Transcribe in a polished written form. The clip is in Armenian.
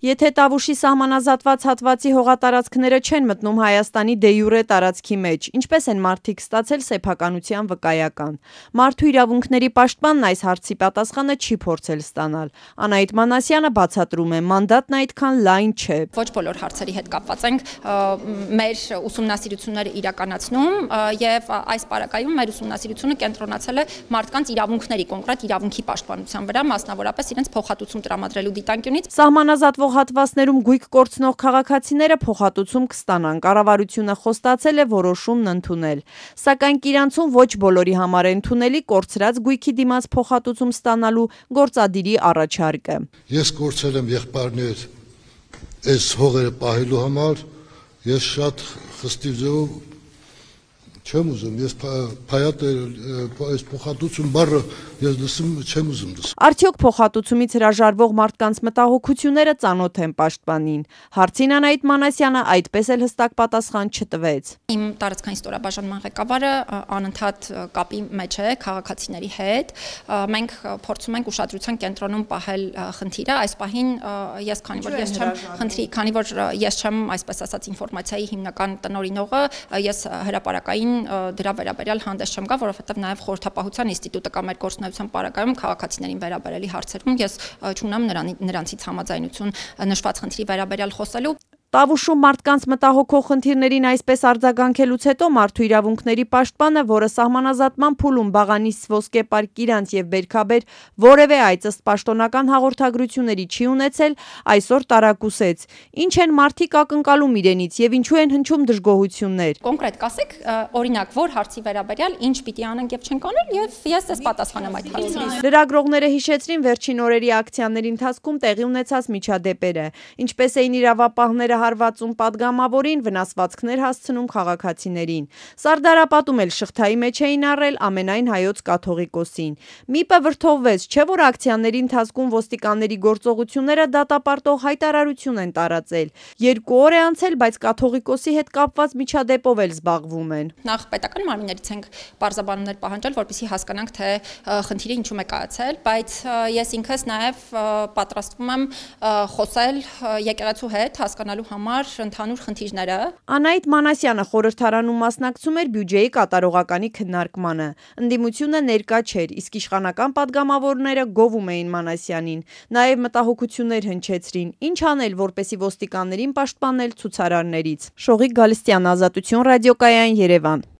Եթե Տավուշի սահմանազատված հատվածի հողատարածքները չեն մտնում Հայաստանի դե յուրե տարածքի մեջ, ինչպես են մարդիկ ստացել սեփականության վկայական։ Մարդու իրավունքների պաշտպանն այս հարցի պատասխանը չի փորձել ստանալ։ Անահիտ Մանասյանը բացատրում է, մանդատն այդքան լայն չէ։ Ոչ բոլոր հարցերի հետ կապված ենք մեր ուսումնասիրությունները իրականացնում եւ այս պարագայում մեր ուսումնասիրությունը կենտրոնացել է մարդկանց իրավունքների, կոնկրետ իրավունքի պաշտպանության վրա, մասնավորապես իրենց փոխհատուցում տրամադրելու դիտանկյունից։ Սահմանազատվող հատվածներում գույք կորցնող քաղաքացիները փոխհատուցում կստանան, կառավարությունը խոստացել է որոշումն ընդունել։ Սակայն Կիրանցում ոչ բոլորի համար է ընդունելի կորցրած գույքի դիմաց փոխհատուցում ստանալու գործադիրի առաջարկը։ Ես կորցրել եմ եղբայրներ այս հողերը պահելու համար, ես շատ խստիվ ձևով չեմ ուզում, ես այս փոխհատուցում բառը ես լսում չեմ ուզում լսել։ Արդյոք փոխհատուցումից հրաժարվող մարդկանց մտահոգությունները ծանոթ են պաշտպանին։ Հարցին Անահիտ Մանասյանը այդպես էլ հստակ պատասխան չտվեց։ Իմ տարածքային ստորաբաժանման ղեկավարը անընդհատ կապի մեջ է քաղաքացիների հետ։ Մենք փորձում ենք ուշադրության կենտրոնում պահել խնդիրը։ Այս պահին ես քանի որ ես չեմ, այսպես ասած, ինֆորմացիայի հիմնական տնօրինողը, ես հրապարակային դրա վերաբերյալ հանդես չեմ գա, որովհետև նաև խորհրդապահության ինստիտուտը կամ մեր գործունեության պարագայում քաղաքացիներին վերաբերելի հարցերում ես չունեմ նրանցից համաձայնություն նշված խնդրի վերաբերյալ խոսելու։ Տավուշում մարդկանց մտահոգող խնդիրներին այսպես արձագանքելուց հետո մարդու իրավունքների պաշտպանը, որը սահմանազատման փուլում Բաղանիս, Ոսկեպարկ, Կիրանց եւ Բերքաբեր որևէ այց ըստ պաշտոնական հաղորդագրությունների չի ունեցել, այսօր տարակուսեց։ Ինչ են մարդիկ ակնկալում իրենից եւ ինչու են հնչում դժգոհություններ։ Կոնկրետ կասեք, օրինակ, որ հարցի վերաբերյալ ինչ պիտի անենք եւ չենք անել եւ ես ես պատասխանեմ այդ հարցին։ Լրագրողները հիշեցրին վերջին օրերի ակցիաների ընթացքում տեղի ունեցած միջադեպերը, ինչպես էին իրավապահները հարվածում падգամավորին, վնասվածքներ հասցնում քաղաքացիներին։ Սարդարապատում էլ շղթայի մեջ էին առել ամենայն հայոց կաթողիկոսին։ ՄԻՊ-ը վրդովվեց, չէ՞ որ ակցիաների ընթացքում ոստիկանների գործողությունները դատապարտող հայտարարություն են տարածել։ 2 օր է անցել, բայց կաթողիկոսի հետ կապված միջադեպով էլ զբաղվում են։ Նախ պետական մարմիններից ենք բարձաբանումներ պահանջել, որպեսզի հասկանանք, թե խնդիրը ինչու է կայացել, բայց ես ինքս նաև պատրաստվում եմ խոսել եկեղեցու հետ, հասկանալու համար ընդհանուր խնդիրները։ Անահիտ Մանասյանը խորհրդարանում մասնակցում էր բյուջեի կատարողականի քննարկմանը։ Ընդդիմությունը ներկա չէր, իսկ իշխանական падգամավորները գովում էին Մանասյանին։ Նաև մտահոգություններ հնչեցրին. ինչ անել, որպեսզի ոստիկաններին պաշտպանել ցուցարարներից։ Շողիկ Գալստյան, Ազատություն ռադիոկայան, Երևան։